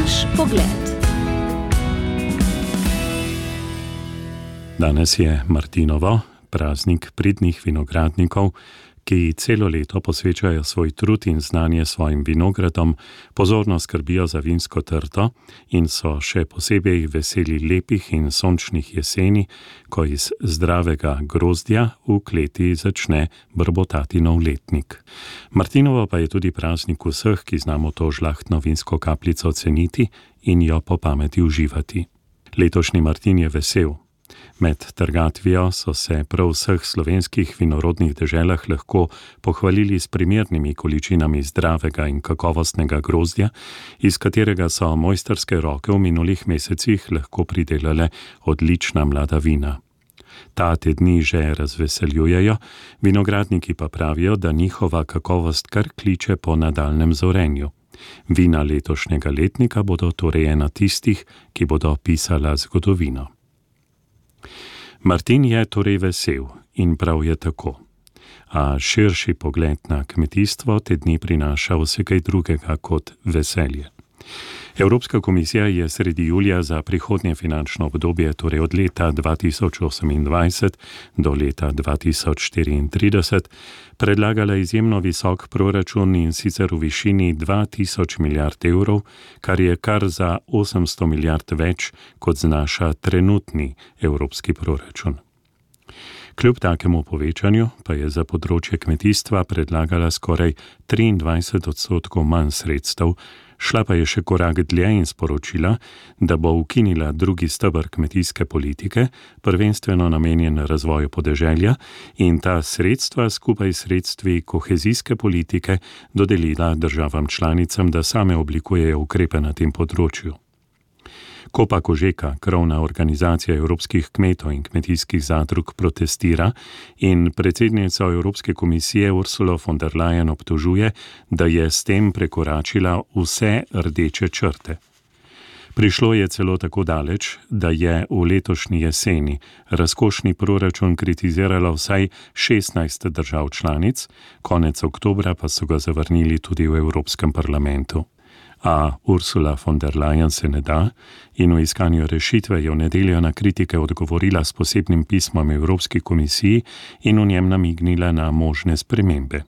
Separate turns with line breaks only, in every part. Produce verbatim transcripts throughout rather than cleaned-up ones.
Naš pogled.
Danes je Martinovo, praznik pridnih vinogradnikov, ki celo leto posvečajo svoj trud in znanje svojim vinogradom, pozorno skrbijo za vinsko trto in so še posebej veseli lepih in sončnih jeseni, ko iz zdravega grozdja v kleti začne brbotati nov letnik. Martinovo pa je tudi praznik vseh, ki znamo to žlahtno vinsko kapljico ceniti in jo po pameti uživati. Letošnji Martin je vesel. Med trgatvijo so se prav v vseh slovenskih vinorodnih deželah lahko pohvalili s primernimi količinami zdravega in kakovostnega grozdja, iz katerega so mojstrske roke v minulih mesecih lahko pridelale odlična mlada vina. Ta te dni že razveseljujejo, vinogradniki pa pravijo, da njihova kakovost kar kliče po nadaljnjem zorenju. Vina letošnjega letnika bodo torej ena tistih, ki bodo pisala zgodovino. Martin je torej vesel in prav je tako, a širši pogled na kmetijstvo te dni prinaša vse kaj drugega kot veselje. Evropska komisija je sredi julija za prihodnje finančno obdobje, torej od leta dva tisoč osemindvajset do leta dva tisoč štiriintrideset, predlagala izjemno visok proračun in sicer v višini dva tisoč milijard evrov, kar je kar za osemsto milijard več, kot znaša trenutni evropski proračun. Kljub takemu povečanju pa je za področje kmetijstva predlagala skoraj triindvajset odstotkov manj sredstev, šla pa je še korak dlje in sporočila, da bo ukinila drugi steber kmetijske politike, prvenstveno namenjen razvoju podeželja, in ta sredstva skupaj s sredstvi kohezijske politike dodelila državam članicam, da same oblikujejo ukrepe na tem področju. Kopa Kožeka, krovna organizacija evropskih kmetov in kmetijskih zadrug, protestira in predsednico Evropske komisije Ursulo von der Leyen obtožuje, da je s tem prekoračila vse rdeče črte. Prišlo je celo tako daleč, da je v letošnji jeseni razkošni proračun kritizirala vsaj šestnajst držav članic, konec oktobra pa so ga zavrnili tudi v Evropskem parlamentu. A Ursula von der Leyen se ne da in v iskanju rešitve je v nedeljo na kritike odgovorila s posebnim pismom Evropski komisiji in v njem namignila na možne spremembe.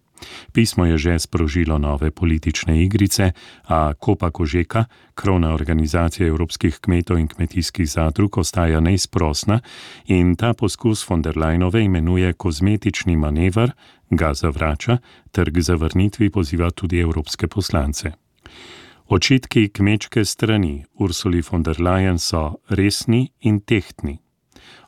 Pismo je že sprožilo nove politične igrice, a Kopa Kožeka, krovna organizacija evropskih kmetov in kmetijskih zadrug, ostaja neizprosna in ta poskus von der Leyenove imenuje kozmetični manever, ga zavrača ter k zavrnitvi poziva tudi evropske poslance. Očitki kmečke strani Ursuli von der Leyen so resni in tehtni.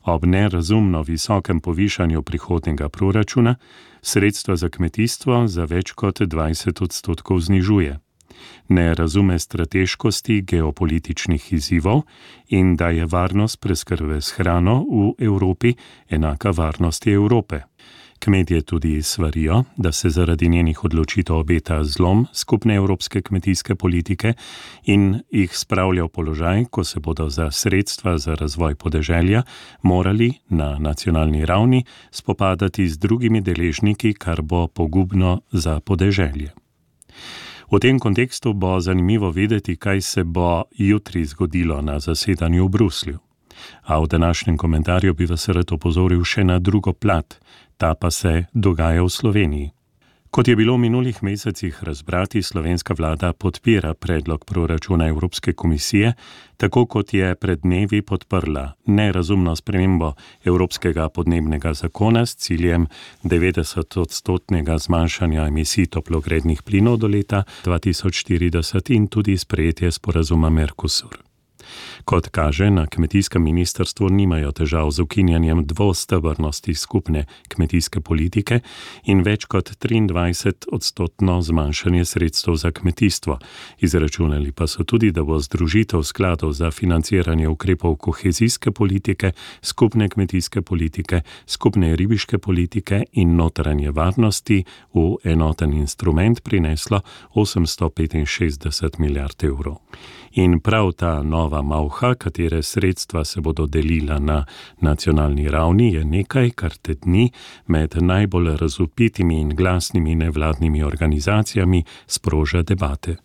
Ob nerazumno visokem povišanju prihodnjega proračuna sredstva za kmetijstvo za več kot dvajset odstotkov znižuje. Ne razume strateškosti geopolitičnih izzivov in da je varnost preskrbe s hrano v Evropi enaka varnosti Evrope. Kmetje tudi svarijo, da se zaradi njenih odločitev obeta zlom skupne evropske kmetijske politike in jih spravlja v položaj, ko se bodo za sredstva za razvoj podeželja morali na nacionalni ravni spopadati z drugimi deležniki, kar bo pogubno za podeželje. V tem kontekstu bo zanimivo videti, kaj se bo jutri zgodilo na zasedanju v Bruslju. A v današnjem komentarju bi vas rad opozoril še na drugo plat, ta pa se dogaja v Sloveniji. Kot je bilo v minulih mesecih razbrati, slovenska vlada podpira predlog proračuna Evropske komisije, tako kot je pred dnevi podprla nerazumno spremembo Evropskega podnebnega zakona s ciljem devetdeset odstotnega zmanjšanja emisij toplogrednih plinov do leta dva tisoč štirideset in tudi sprejetje sporazuma Mercosur. Kot kaže, na kmetijskem ministrstvu nimajo težav z ukinjanjem dvostebrnosti skupne kmetijske politike in več kot triindvajset odstotno zmanjšanje sredstev za kmetijstvo. Izračunali pa so tudi, da bo združitev skladov za financiranje ukrepov kohezijske politike, skupne kmetijske politike, skupne ribiške politike in notranje varnosti v enoten instrument prineslo osemsto petinšestdeset milijard evrov. In prav ta nova nova malha, katere sredstva se bodo delila na nacionalni ravni, je nekaj, kar tedni med najbolj razvpitimi in glasnimi nevladnimi organizacijami sproža debate.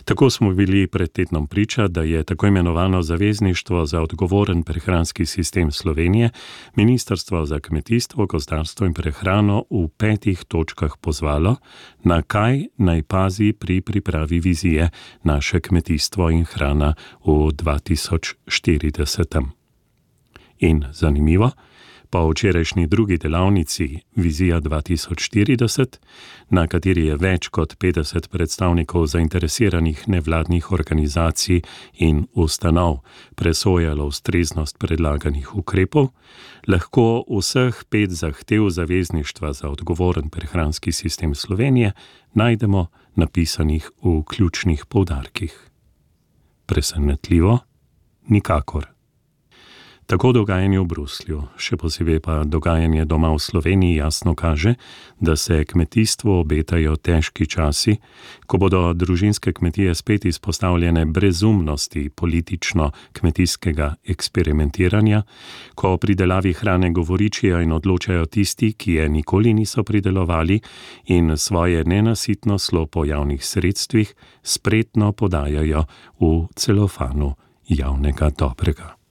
Tako smo bili pred tednom priča, da je tako imenovano Zavezništvo za odgovoren prehranski sistem Slovenije Ministrstvo za kmetijstvo, gozdarstvo in prehrano v petih točkah pozvalo, na kaj naj pazi pri pripravi vizije Naše kmetijstvo in hrana v dva tisoč štirideset. In zanimivo, po včerajšnji drugi delavnici Vizija dva tisoč štirideset, na kateri je več kot petdeset predstavnikov zainteresiranih nevladnih organizacij in ustanov presojalo ustreznost predlaganih ukrepov, lahko vseh pet zahtev Zavezništva za odgovoren prehranski sistem Slovenije najdemo napisanih v ključnih poudarkih. Presenetljivo? Nikakor. Tako dogajanje v Bruslju, še posebej pa dogajanje doma v Sloveniji jasno kaže, da se kmetijstvu obetajo težki časi, ko bodo družinske kmetije spet izpostavljene brezumnosti politično-kmetijskega eksperimentiranja, ko o pridelavi hrane govoričijo in odločajo tisti, ki je nikoli niso pridelovali in svoje nenasitno slo po javnih sredstvih spretno podajajo v celofanu javnega dobrega.